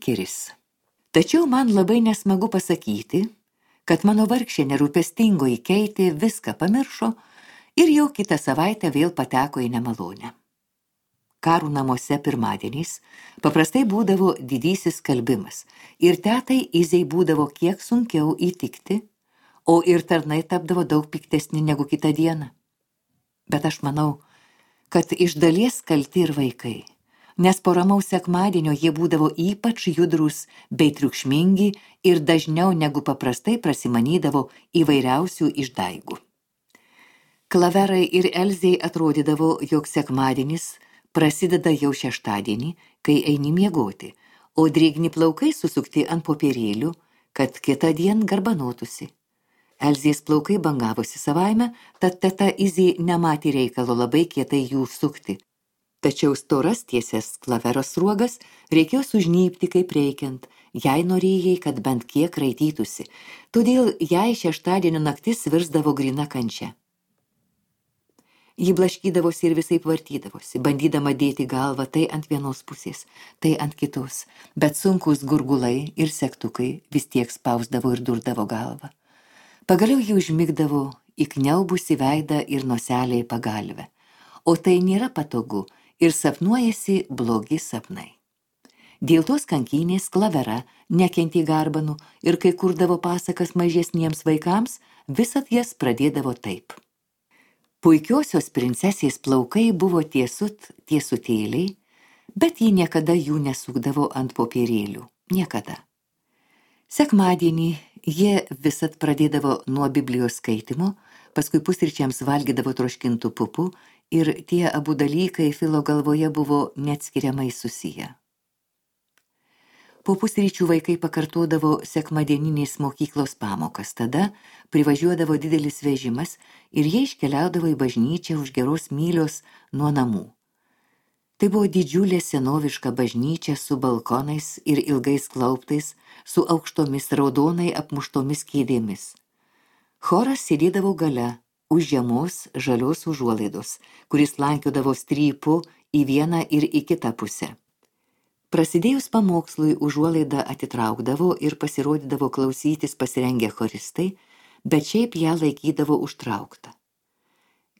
Bekeris. Tačiau man labai nesmagu pasakyti, kad mano vargšė nerūpestingoji Keitė viską pamiršo ir jau kitą savaitę vėl pateko į nemalonę. Karų namuose pirmadieniais paprastai būdavo didysis skalbimas ir tetai Izei būdavo kiek sunkiau įtikti, o ir tarnai tapdavo daug piktesni negu kitą dieną. Bet aš manau, kad iš dalies kalti ir vaikai, nes po ramaus sekmadienio jie būdavo ypač judrūs bei triukšmingi ir dažniau negu paprastai prasimanydavo įvairiausių išdaigų. Klaverai ir Elzei atrodydavo, jog sekmadienis prasideda jau šeštadienį, kai eini miegoti, o drėgni plaukai susukti ant popierėlių, kad kitą dieną garbanotųsi. Elzės plaukai bangavosi savaime, tad teta Izė nematė reikalo labai kietai jų sukti. Tačiau storas tiesias klaveros sruogas reikėjo sužnypti kaip reikiant, jei norėjai, kad bent kiek raitytųsi, todėl jai šeštadienio naktis virsdavo gryna kančia. Ji blaškydavosi ir visaip vartydavosi, bandydama dėti galvą tai ant vienos pusės, tai ant kitos, bet sunkus gurgulai ir segtukai vis tiek spausdavo ir durdavo galvą. Pagaliau ji užmigdavo įkniaubusi veidą ir noselę į pagalvę, o tai nėra patogu ir sapnuojasi blogi sapnai. Dėl tos kankynės Klavera nekentė garbanų ir kai kurdavo pasakas mažesniems vaikams, visad jas pradėdavo taip. Puikiosios princesės plaukai buvo tiesutėliai, bet ji niekada jų nesukdavo ant popierėlių. Niekada. Sekmadienį jie visad pradėdavo nuo Biblijos skaitimo, paskui pusryčiams valgydavo troškintų pupų ir tie abu dalykai Filo galvoje buvo neatskiriamai susiję. Po pusryčių vaikai pakartodavo sekmadieninės mokyklos pamokas, tada privažiuodavo didelis vežimas ir jie iškeliaudavo į bažnyčią už geros mylios nuo namų. Tai buvo didžiulė senoviška bažnyčia su balkonais ir ilgais klauptais, su aukštomis raudonai apmuštomis kėdėmis. Choras sėdėdavo gale, už žemos žalios užuolaidos, kuris lankiodavo strypu į vieną ir į kitą pusę. Prasidėjus pamokslui užuolaidą atitraukdavo ir pasirodydavo klausytis pasirengę choristai, bet šiaip ją laikydavo užtrauktą.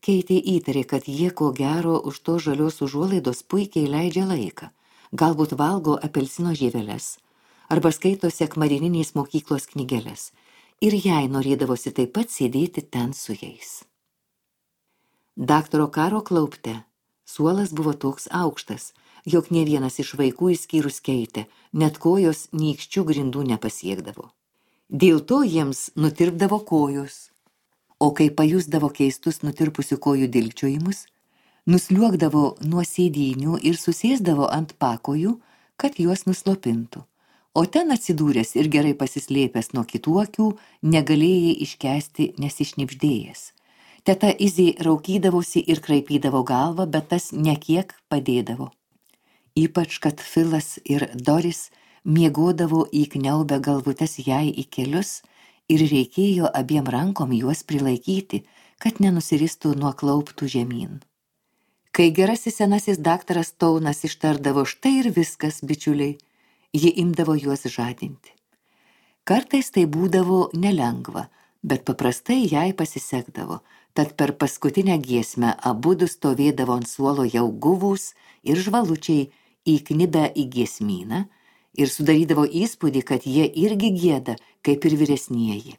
Keitė įtarė, kad jie ko gero už to žalios užuolaidos puikiai leidžia laiką, galbūt valgo apelsino žieveles, arba skaito sekmadieninės mokyklos knygeles, ir jai norėdavosi taip pat sėdėti ten su jais. Daktaro Karo klaupte suolas buvo toks aukštas, jog ne vienas iš vaikų išskyrus Keitę, net kojos nykščių grindų nepasiekdavo. Dėl to jiems nutirpdavo kojos, o kai pajusdavo keistus nutirpusių kojų dilgčiojimus, nusliuogdavo nuo sėdynių ir susėsdavo ant pakojų, kad juos nuslopintų, o ten atsidūręs ir gerai pasislėpęs nuo kitų akių, negalėjai iškęsti nesišnibždėjęs. Teta Izė raukydavosi ir kraipydavo galvą, bet tas nekiek padėdavo. Ypač, kad Filas ir Doris miegodavo įkniaubę galvutes jai į kelius ir reikėjo abiem rankom juos prilaikyti, kad nenusiristų nuo klauptų žemyn. Kai gerasis senasis daktaras Taunas ištardavo štai ir viskas, bičiuliai, ji imdavo juos žadinti. Kartais tai būdavo nelengva, bet paprastai jai pasisekdavo, tad per paskutinę giesmę abudu stovėdavo ant suolo jau guvūs ir žvalučiai įknibę į giesmyną ir sudarydavo įspūdį, kad jie irgi gieda, kaip ir vyresnieji.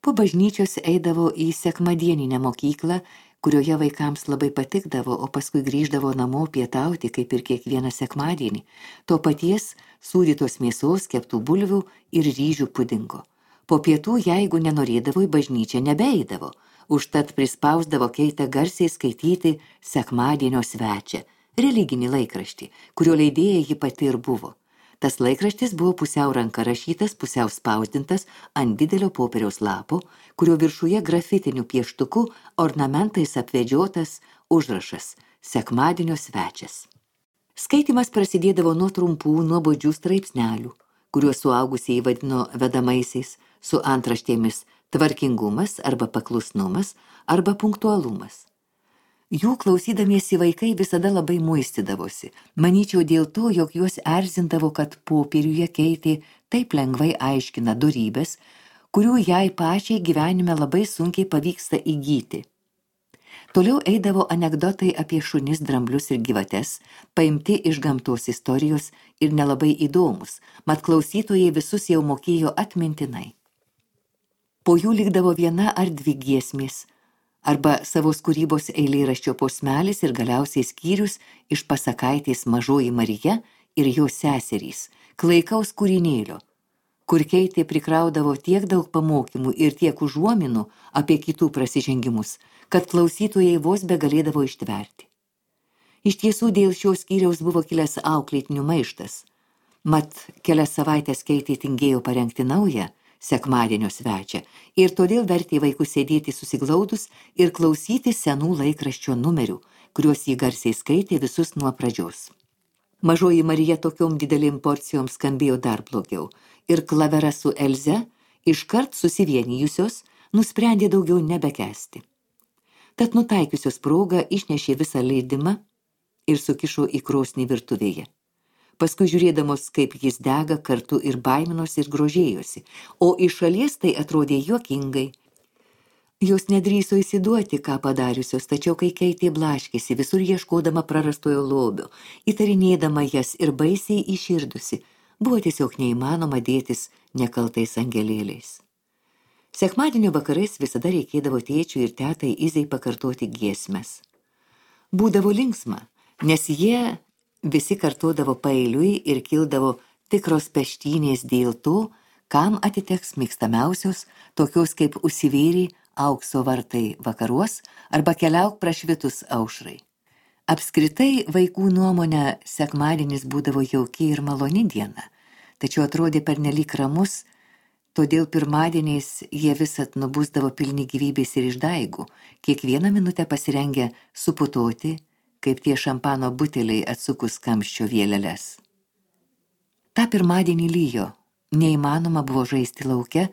Po bažnyčios eidavo į sekmadieninę mokyklą, kurioje vaikams labai patikdavo, o paskui grįždavo namo pietauti, kaip ir kiekvieną sekmadienį, to paties sūdytos mėsos, keptų bulvių ir ryžių pudingo. Po pietų, jeigu nenorėdavo į bažnyčią, nebeeidavo, užtat prispausdavo Keitę garsiai skaityti sekmadienio svečią, religinį laikraštį, kurio leidėja ji pati ir buvo. Tas laikraštis buvo pusiau ranka rašytas, pusiau spausdintas ant didelio popieriaus lapo, kurio viršuje grafitiniu pieštuku ornamentais apvedžiotas užrašas sekmadienio svečias. Skaitymas prasidėdavo nuo trumpų, nuobodžių straipsnelių, kuriuos suaugusieji vadino vedamaisiais, su antraštėmis tvarkingumas arba paklusnumas arba punktualumas. Jų klausydamiesi vaikai visada labai muistydavosi. Manyčiau dėl to, jog juos erzindavo, kad popieriuje Keitė taip lengvai aiškina dorybes, kurių jai pačiai gyvenime labai sunkiai pavyksta įgyti. Toliau eidavo anekdotai apie šunis, dramblius ir gyvates, paimti iš gamtos istorijos ir nelabai įdomus, mat klausytojai visus jau mokėjo atmintinai. Po jų likdavo viena ar dvi giesmės, arba savos kūrybos eilėraščio posmelis ir galiausiai skyrius iš pasakaitės Mažoji Marija ir jos seserys, klaikaus kūrinėlio, kur Keitė prikraudavo tiek daug pamokymų ir tiek užuominų apie kitų prasižengimus, kad klausytojai vos begalėdavo ištverti. Iš tiesų dėl šios skyriaus buvo kilęs auklėtinių maištas, mat kelias savaitės Keitė tingėjo parengti naują sekmadienio svečią ir todėl vertė vaikus sėdėti susiglaudus ir klausyti senų laikraščio numerių, kuriuos jį garsiai skaitė visus nuo pradžios. Mažoji Marija tokiom didelėm porcijom skambėjo dar blogiau ir Klavera su Elze, iškart susivienijusios, nusprendė daugiau nebekęsti. Tad nutaikiusios progą išnešė visą leidimą ir sukišo į krosnį virtuvėje. Paskui žiūrėdamos, kaip jis dega, kartu ir baiminosi ir grožėjosi, o iš šalies tai atrodė juokingai. Jos nedrįso įsiduoti, ką padariusios, tačiau kai Keitė blaškėsi, visur ieškodama prarastojo lobio, įtarinėdama jas ir baisiai iširdusi, buvo tiesiog neįmanoma dėtis nekaltais angelėliais. Sekmadienio vakarais visada reikėdavo tėčiui ir tetai Izei pakartoti giesmes. Būdavo linksma, nes jie visi kartodavo paeiliui ir kildavo tikros peštynės dėl to, kam atiteks mėgstamiausios, tokios kaip Užsivėrė aukso vartai vakaruos arba Keliauk prašvitus aušrai. Apskritai vaikų nuomonę sekmadienis būdavo jauki ir maloni diena, tačiau atrodė pernelyg ramus, todėl pirmadieniais jie visad nubusdavo pilni gyvybės ir išdaigų, kiekvieną minutę pasirengę suputoti, kaip tie šampano buteliai atsukus kamščio vėleles. Ta pirmadienį lyjo, neįmanoma buvo žaisti lauke,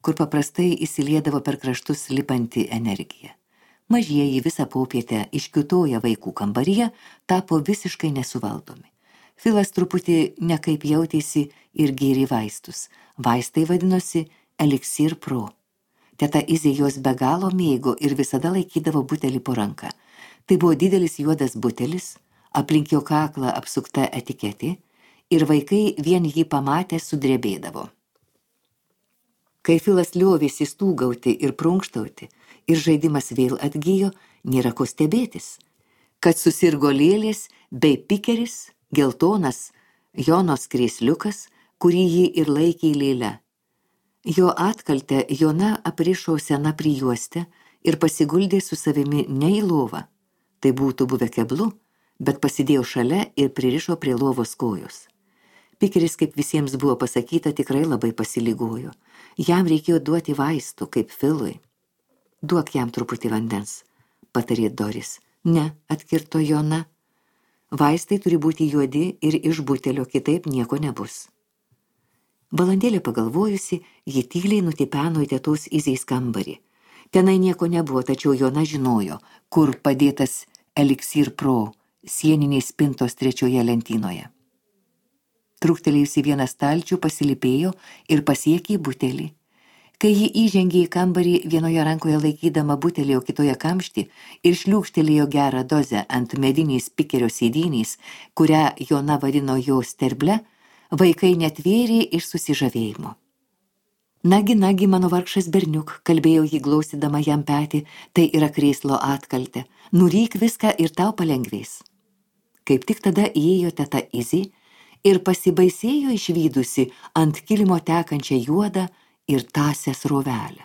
kur paprastai įsiliedavo per kraštus lipanti energija. Mažieji visą popietę iškiutoję vaikų kambaryje tapo visiškai nesuvaldomi. Filas truputį nekaip jautėsi ir gėrė vaistus. Vaistai vadinosi Elixir Pro. Teta Izė jos be galo mėgo ir visada laikydavo butelį po ranką. Tai buvo didelis juodas butelis, aplink jo kaklą apsukta etiketė ir vaikai vien jį pamatę sudrebėdavo. Kai Filas liovėsi stūgauti ir prunkštauti ir žaidimas vėl atgijo, nėra ko stebėtis, kad susirgo lėlės bei pikeris, geltonas Jonos krėsliukas, kurį jį ir laikė lėle. Jo atkaltę Jona aprišo sena prijuostę ir pasiguldė su savimi ne į lovą. Tai būtų buvę keblu, bet pasidėjo šalia ir pririšo prie lovos kojos. Pikeris, kaip visiems buvo pasakyta, tikrai labai pasiligojo. Jam reikėjo duoti vaistų, kaip Filui. Duok jam truputį vandens, patarė Doris. Ne, atkirto Jona. Vaistai turi būti juodi ir iš butelio, kitaip nieko nebus. Valandėlę pagalvojusi, ji tyliai nutipeno į tetos Izės kambarį. Tenai nieko nebuvo, tačiau Jona žinojo, kur padėtas Elixir Pro sieniniais spintos trečioje lentynoje. Trūktelėjusi vieną stalčių pasilipėjo ir pasiekė butelį. Kai ji įžengė į kambarį, vienoje rankoje laikydama butelį, o kitoje kamštį ir šliūkštelėjo gerą dozę ant medinės pikerio sėdynės, kurią Jona vadino jo sterble, vaikai netvėrė iš susižavėjimo. Nagi, mano vargšas berniuk, kalbėjo jį glaustydama jam petį, tai yra krėslo atkaltė. Nuryk viską ir tau palengvės. Kaip tik tada įėjo teta Izė ir pasibaisėjo išvydusi ant kilimo tekančią juodą ir tąsią srovelę.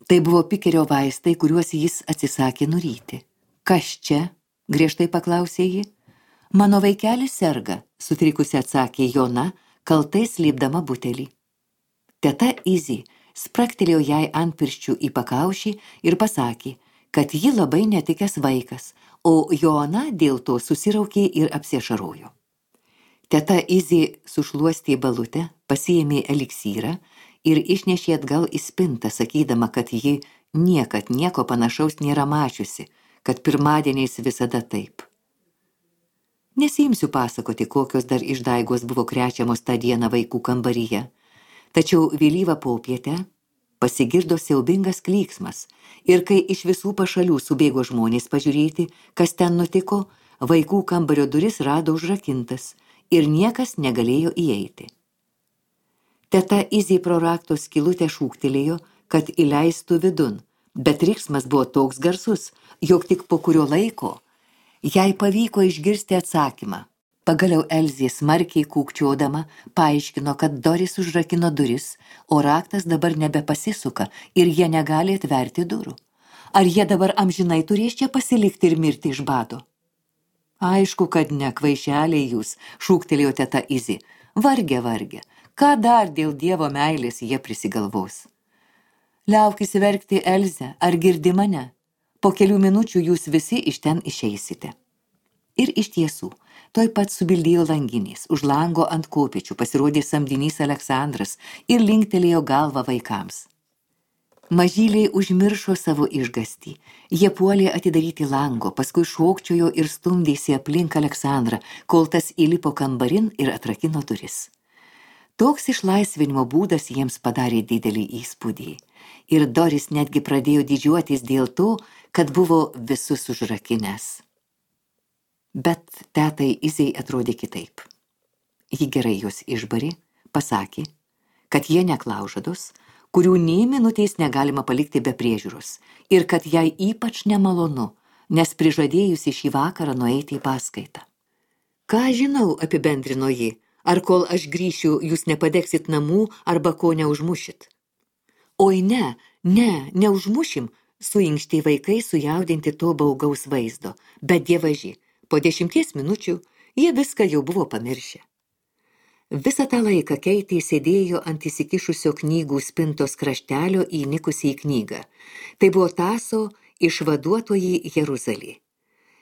Tai buvo pikerio vaistai, kuriuos jis atsisakė nuryti. Kas čia? Griežtai paklausė ji. Mano vaikelis serga, sutrikusi atsakė Jona, kaltai slėpdama butelį. Teta Izė spraktelėjo jai ant pirščių į pakaušį ir pasakė, kad ji labai netikęs vaikas, o Jona dėl to susiraukė ir apsiašarojo. Teta Izė sušluostė balutę, pasiėmė eliksyrą ir išnešė atgal į spintą, sakydama, kad ji niekad nieko panašaus nėra mačiusi, kad pirmadieniais visada taip. Nesiimsiu pasakoti, kokios dar išdaigos buvo krečiamos tą dieną vaikų kambaryje, tačiau vėlyvą popietę pasigirdo siaubingas klyksmas ir kai iš visų pašalių subėgo žmonės pažiūrėti, kas ten nutiko, vaikų kambario duris rado užrakintas ir niekas negalėjo įeiti. Teta Izė pro rakto skylutę šūktelėjo, kad įleistų vidun, bet riksmas buvo toks garsus, jog tik po kurio laiko jai pavyko išgirsti atsakymą. Pagaliau Elzė smarkiai kūkčiodama paaiškino, kad Doris užrakino duris, o raktas dabar nebepasisuka ir jie negali atverti durų. Ar jie dabar amžinai turės čia pasilikti ir mirti iš bado? Aišku, kad ne, kvaišeliai jūs, šūktelėjo teta Izė. Varge, ką dar dėl Dievo meilės jie prisigalvos? Liaukis verkti, Elze, ar girdi mane? Po kelių minučių jūs visi iš ten išeisite. Ir iš tiesų, toj pat subildėjo langinės, už lango ant kopėčių pasirodė samdinys Aleksandras ir linktelėjo galvą vaikams. Mažyliai užmiršo savo išgastį, jie puolė atidaryti lango, paskui šokčiojo ir stumdėsi aplink Aleksandrą, kol tas įlipo kambarin ir atrakino duris. Toks išlaisvinimo būdas jiems padarė didelį įspūdį ir Doris netgi pradėjo didžiuotis dėl to, kad buvo visus užrakinęs. Bet tetai Izei atrodė kitaip. Ji gerai juos išbarė, pasakė, kad jie neklaužados, kurių nė minutės negalima palikti be priežiūros ir kad jai ypač nemalonu, nes prižadėjusi šį vakarą nueiti į paskaitą. Ką žinau, apibendrino ji, ar kol aš grįšiu, jūs nepadegsit namų arba ko neužmušit. Oi neužmušim, suinkštė vaikai sujaudinti to baugaus vaizdo, bet dievaži, po 10 minučių jie viską jau buvo pamiršę. Visą tą laiką Keitė sėdėjo ant įsikišusio knygų spintos kraštelio įnikusi į knygą. Tai buvo Taso Išvaduotoji Jeruzalė.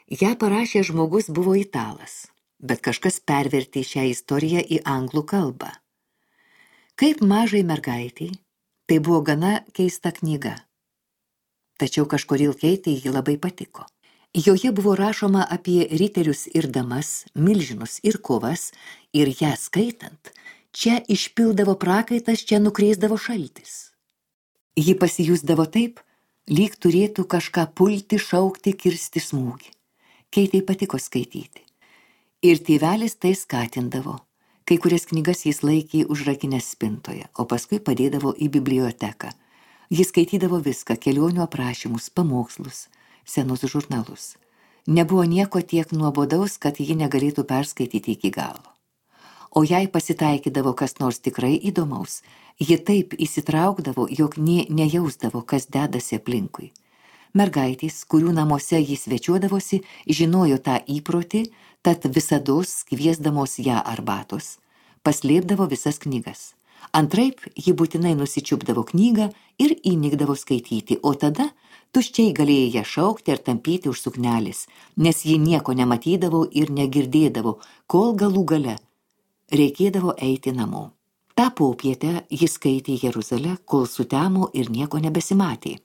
Ja parašė žmogus buvo italas, bet kažkas pervertė šią istoriją į anglų kalbą. Kaip mažai mergaitei, tai buvo gana keista knyga. Tačiau kažkodėl Keitei ji labai patiko. Joje buvo rašoma apie riterius ir damas, milžinus ir kovas, ir ją skaitant, čia išpildavo prakaitas, čia nukreisdavo šaltis. Ji pasijusdavo taip, lyg turėtų kažką pulti, šaukti, kirsti smūgį. Keitei patiko skaityti. Ir tėvelis tai skatindavo. Kai kurias knygas jis laikė užrakinęs spintoje, o paskui padėdavo į biblioteką. Jis skaitydavo viską, kelionių aprašymus, pamokslus, senus žurnalus. Nebuvo nieko tiek nuobodaus, kad ji negalėtų perskaityti iki galo. O jei pasitaikydavo kas nors tikrai įdomaus, ji taip įsitraukdavo, jog nė nejausdavo, kas dedasi aplinkui. Mergaitės, kurių namuose jis svečiuodavosi, žinojo tą įprotį, tad visados kviesdamos ją arbatos, paslėpdavo visas knygas. Antraip, ji būtinai nusičiupdavo knygą ir įnikdavo skaityti, o tada tuščiai galėjo ją šaukti ar tampyti už suknelės, nes ji nieko nematydavo ir negirdėdavo, kol galų gale reikėdavo eiti namo. Ta popietę jis skaitė Jeruzalę, kol sutemo ir nieko nebesimatė.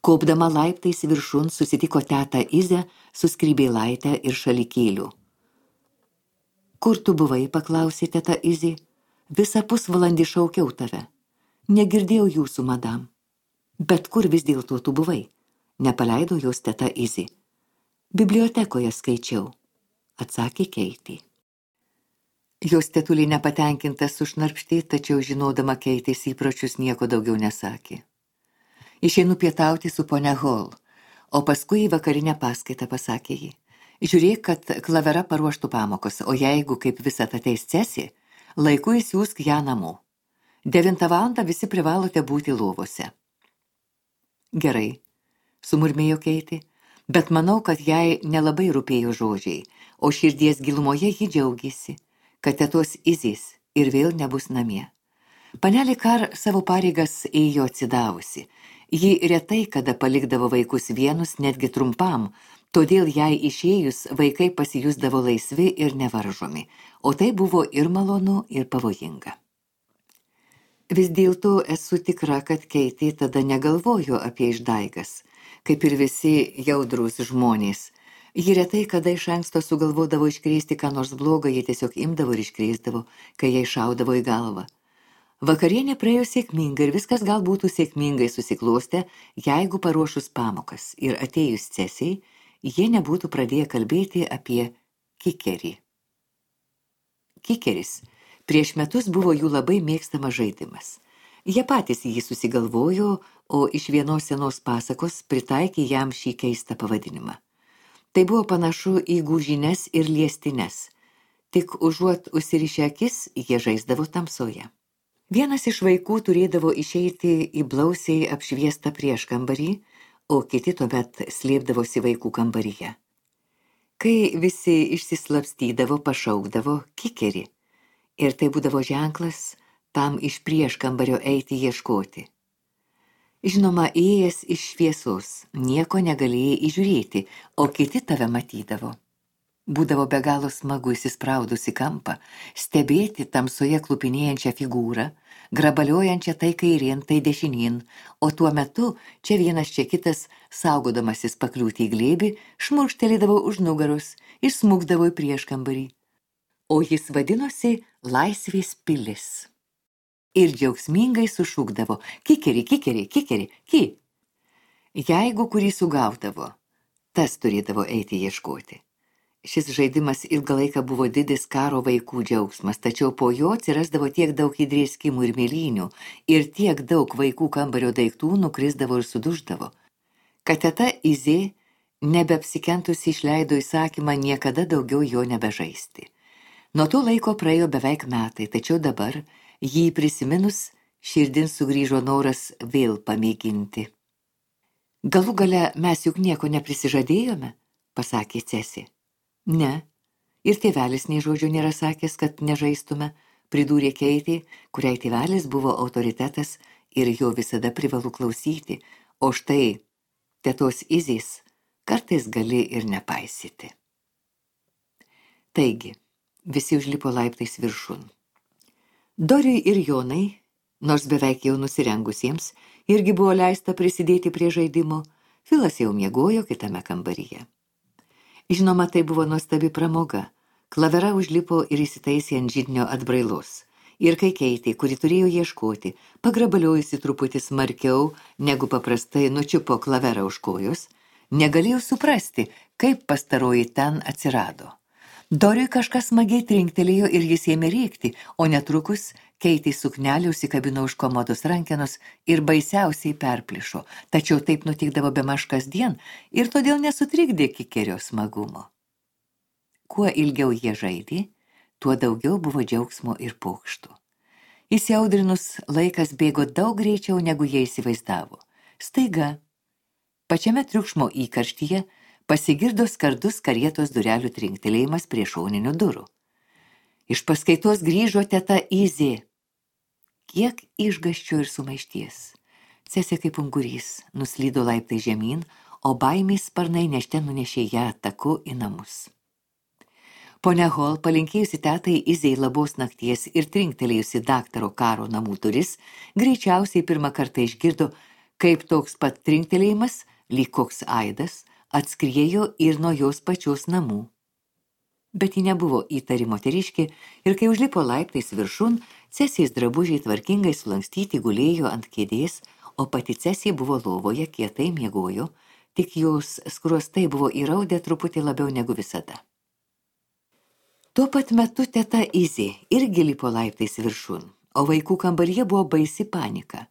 Kopdama laiptais viršun susitiko tetą Izę su skrybėlaite ir šalikėliu. Kur tu buvai, paklausė teta Izė. Visą pusvalandį šaukiau tave. Negirdėjau jūsų, madam. Bet kur vis dėlto tu buvai? Nepaleido jos teta Izė. Bibliotekoje skaičiau, atsakė Keitė. Jos tetulė nepatenkintas sušnarpštė, tačiau žinodama Keitės įpročius nieko daugiau nesakė. Išeinu pietauti su ponia Hall, o paskui į vakarinę paskaitą, pasakė ji. Žiūrėk, kad Klavera paruoštų pamokos, o jeigu kaip visat ateis Cesi, laiku įsiųsk ją namo. 9 valandą visi privalote būti lovose. Gerai, sumurmėjo Keitė, bet manau, kad jai nelabai rūpėjo žodžiai, o širdies gilumoje ji džiaugėsi, kad tetos Izės ir vėl nebus namie. Panelė Kar savo pareigas ėjo atsidavusi. Ji retai kada palikdavo vaikus vienus netgi trumpam, todėl jai išėjus vaikai pasijusdavo laisvi ir nevaržomi, o tai buvo ir malonu, ir pavojinga. Vis dėlto esu tikra, kad Keitė tada negalvojo apie išdaigas, Kaip ir visi jaudrūs žmonės, ji retai kada iš anksto sugalvodavo iškrėsti ką nors blogo, jie tiesiog imdavo ir iškrėsdavo, kai jai šaudavo į galvą. Vakarienė praėjo sėkmingai ir viskas gal būtų sėkmingai susiklostę, jeigu paruošus pamokas ir atėjus Cesijai, jie nebūtų pradėję kalbėti apie kikerį. Kikeris prieš metus buvo jų labai mėgstamas žaidimas. Jie patys jį susigalvojo, o iš vienos senos pasakos pritaikė jam šį keistą pavadinimą. Tai buvo panašu į gūžines ir liestines, tik užuot užsirišę akis, jie žaisdavo tamsoje. Vienas iš vaikų turėdavo išeiti į blausiai apšviestą prieškambarį, o kiti tuomet slėpdavosi vaikų kambaryje. Kai visi išsislapstydavo, pašaukdavo kikerį, ir tai būdavo ženklas tam iš prieškambario eiti ieškoti. Žinoma, įėjęs iš šviesos, nieko negalėjai įžiūrėti, o kiti tave matydavo. Būdavo be galo smagu įsispraudus į kampą, stebėti tamsoje klupinėjančią figūrą, grabaliojančią tai kairien, tai dešinien, o tuo metu čia vienas, čia kitas, saugodamasis pakliūti į glėbį, šmurkštelėdavo už nugaros ir smukdavo į prieškambarį. O jis vadinosi Laisvės pilis. Ir džiaugsmingai sušūkdavo: kikeri, kikeri, kikeri, ki. Jeigu kurį sugaudavo, tas turėdavo eiti ieškoti. Šis žaidimas ilgą laiką buvo didis karo vaikų džiaugsmas, tačiau po jo atsirasdavo tiek daug įdrėskimų ir mėlynių, ir tiek daug vaikų kambario daiktų nukrisdavo ir suduždavo, kad teta Izė nebeapsikentusi išleido įsakymą niekada daugiau jo nebežaisti. Nuo to laiko praėjo beveik metai, tačiau dabar, jį prisiminus, širdin sugrįžo noras vėl pamėginti. Galų gale mes juk nieko neprisižadėjome, pasakė Cesė. Ne, ir tėvelis nei žodžio nėra sakęs, kad nežaistume, pridūrė Keitė, kuriai tėvelis buvo autoritetas ir jo visada privalu klausyti, o štai tetos Izės kartais gali ir nepaisyti. Taigi, visi užlipo laiptais viršun. Doriui ir Jonai, nors beveik jau nusirengusiems, irgi buvo leista prisidėti prie žaidimo, Filas jau miegojo kitame kambaryje. Žinoma, tai buvo nuostabi pramoga. Klavera užlipo ir įsitaisė ant židinio atbrailos. Ir kai Keitė, kuri turėjo ieškoti, pagrabaliojusi truputį smarkiau, negu paprastai nučiupo klaverą už kojos, negalėjo suprasti, kaip pastaroji ten atsirado. Doriui kažkas smagiai trinktelėjo ir jis ėmė rėkti, o netrukus Keitė suknelė užsikabino už komodos rankenos ir baisiausiai perplišo, tačiau taip nutikdavo bemaž kasdien ir todėl nesutrikdė kikerio smagumo. Kuo ilgiau jie žaidė, tuo daugiau buvo džiaugsmo ir pokštų. Įsiaudrinus laikas bėgo daug greičiau, negu jie įsivaizdavo. Staiga, pačiame triukšmo įkarštyje, pasigirdo skardus karietos durelių trinktelėjimas prie šoninių durų. Iš paskaitos grįžo teta Izė. Kiek išgąsčio ir sumaišties. Cesė kaip ungurys nuslydo laiptai žemyn, o baimės sparnai nešte nunešė ją taku į namus. Ponia Hol, palinkėjusi tetai Izei labos nakties ir trinktelėjusi daktaro Karo namų duris, greičiausiai pirmą kartą išgirdo, kaip toks pat trinktelėjimas, lyg koks aidas, atskriejo ir nuo jos pačios namų. Bet ji nebuvo įtari moteriškė ir kai užlipo laiptais viršun, Cesės drabužiai tvarkingai sulankstyti gulėjo ant kėdės, o pati Cesė buvo lovoje, kietai miegojo, tik jos skruostai buvo įraudę truputį labiau negu visada. Tuo pat metu teta Izė irgi lipo laiptais viršun, o vaikų kambaryje buvo baisi panika.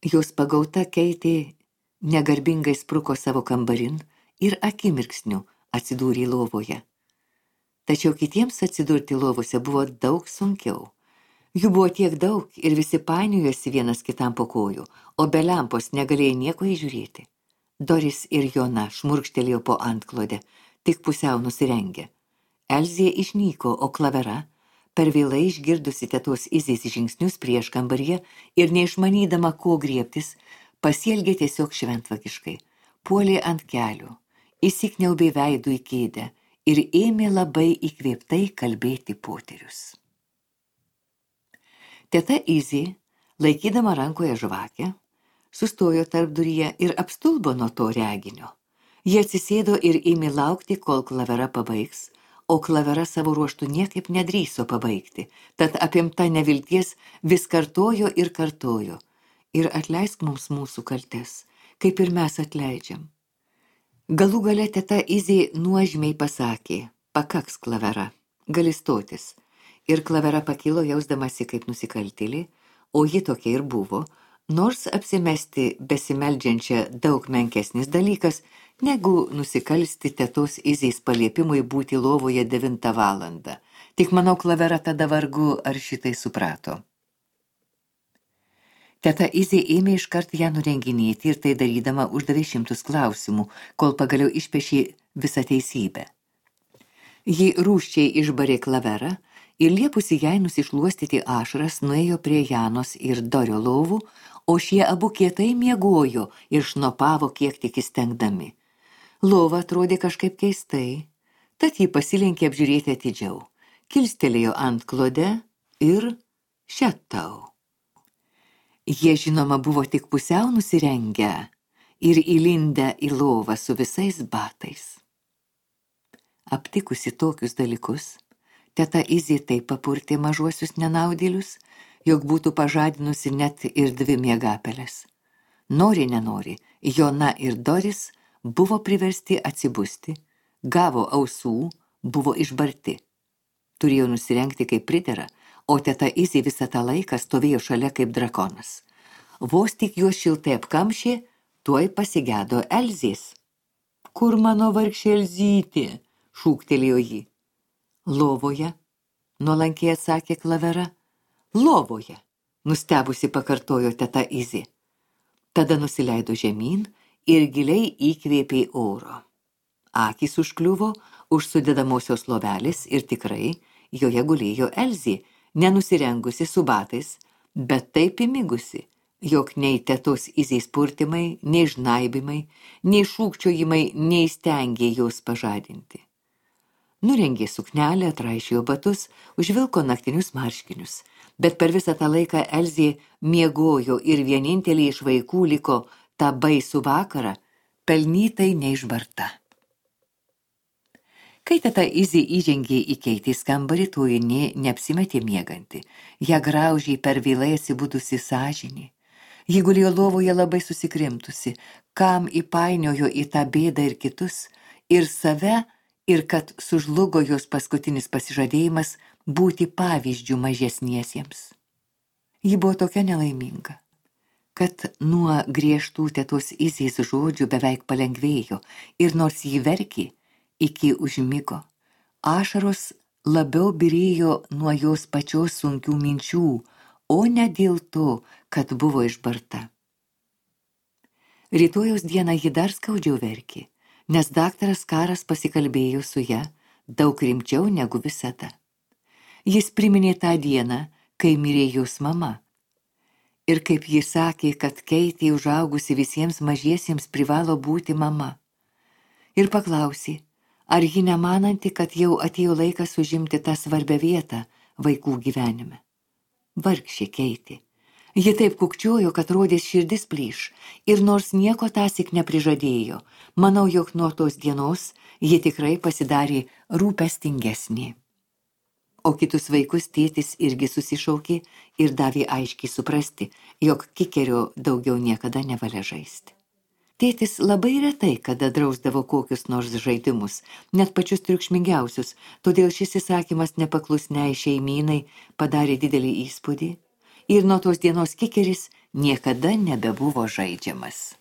Jos pagauta Keitė negarbingai spruko savo kambarin ir akimirksniu atsidūrė lovoje. Tačiau kitiems atsidurti lovose buvo daug sunkiau. Jų buvo tiek daug ir visi painiojosi vienas kitam po kojų, o be lempos negalėjo nieko įžiūrėti. Doris ir Jona šmurkštelėjo po antklodę, tik pusiau nusirengę. Elzė išnyko, o Klavera, per vėlai išgirdusi tetos Izės žingsnius prieš kambaryje ir neišmanydama, ko griebtis, pasielgė tiesiog šventvagiškai, puolė ant kelių, įsikniaubė veidų į kėdę ir ėmė labai įkvėptai kalbėti poterius. Teta Izė, laikydama rankoje žvakę, sustojo tarpduryje ir apstulbo nuo to reginio. Jie atsisėdo ir ėmė laukti, kol Klavera pabaigs, o Klavera savo ruoštų niekaip nedrįso pabaigti, tad apimta nevilties vis kartojo ir kartojo. Ir atleisk mums mūsų kaltes, kaip ir mes atleidžiam. Galų gale teta Izė nuožmiai pasakė, pakaks Klavera, gali stotis. Ir Klavera pakilo jausdamasi kaip nusikaltėlė, o ji tokia ir buvo, nors apsimesti besimeldžiančią daug menkesnis dalykas, negu nusikalsti tetos Izės paliepimui būti lovoje 9 valandą. Tik manau, Klavera tada vargu ar šitai suprato. Teta Izė ėmė iškart ją nurenginėti ir tai darydama uždavė 100 klausimų, kol pagaliau išpešė visą teisybę. Ji rūsčiai išbarė Klaverą ir liepusi jai nusišluostyti ašaras nuėjo prie Janos ir Dorio lovų, o šie abu kietai miegojo ir šnopavo kiek tik įstengdami. Lova atrodė kažkaip keistai, tad jį pasilenkė apžiūrėti atidžiau, kilstelėjo ant klode ir šetau. Jie žinoma buvo tik pusiau nusirengę ir įlindę į lovą su visais batais. Aptikusi tokius dalykus, teta Izė taip papurtė mažuosius nenaudėlius, jog būtų pažadinusi net ir 2 miegapeles. Nori nenori, Jona ir Doris buvo priversti atsibusti, gavo ausų, buvo išbarti. Turėjo nusirengti kaip pridera, o teta Izė visą tą laiką stovėjo šalia kaip drakonas. Vos tik juos šiltai apkamšė, tuoj pasigedo Elzės. Kur mano vargšė Elzytė? Šūktelėjo ji. Lovoje, nuolankiai atsakė Klavera. Lovoje, nustebusi pakartojo teta Izė. Tada nusileido žemyn ir giliai įkvėpė oro. Akys užkliuvo už sudedamosios lovelės ir tikrai joje gulėjo Elzė, nenusirengusi su batais, bet taip įmigusi, jog nei tetos Izės purtimai, nei žnaibimai, nei šūkčiojimai neįstengė jos pažadinti. Nurengė suknelę, atraišėjo batus, užvilko naktinius marškinius, bet per visą tą laiką Elzė miegojo ir vienintelė iš vaikų liko tą baisų vakarą, pelnytai neišbarta. Kai teta Izė įžengė į Keitės kambarį, toji neapsimetė mieganti. Ją graužė per vėlai atsibudusi sąžinė. Ji gulėjo lovoje labai susikrimtusi, kam įpainiojo į tą bėdą ir kitus, ir save, ir kad sužlugo jos paskutinis pasižadėjimas būti pavyzdžių mažesniesiems. Ji buvo tokia nelaiminga, kad nuo griežtų tetos Izės žodžių beveik palengvėjo, ir nors ji verkė, iki užmigo, ašaros labiau byrėjo nuo jos pačios sunkių minčių, o ne dėl to, kad buvo išbarta. Rytojaus dieną ji dar skaudžiau verkė, nes daktaras Karas pasikalbėjo su ja daug rimčiau negu visada. Jis priminė tą dieną, kai mirė jos mama. Ir kaip ji sakė, kad Keitė užaugusi visiems mažiesiems privalo būti mama. Ir paklausė, ar ji nemananti, kad jau atėjo laikas užimti tą svarbią vietą vaikų gyvenime. Vargšė Keitė. Ji taip kukčiojo, kad rodės širdis plyš, ir nors nieko tąsyk neprižadėjo, manau, jog nuo tos dienos ji tikrai pasidarė rūpestingesnė. O kitus vaikus tėtis irgi susišaukė ir davė aiškiai suprasti, jog kikerio daugiau niekada nevalia žaisti. Tėtis labai retai kada drausdavo kokius nors žaidimus, net pačius triukšmingiausius, todėl šis įsakymas nepaklusniai šeimynai padarė didelį įspūdį ir nuo tos dienos kikeris niekada nebebuvo žaidžiamas.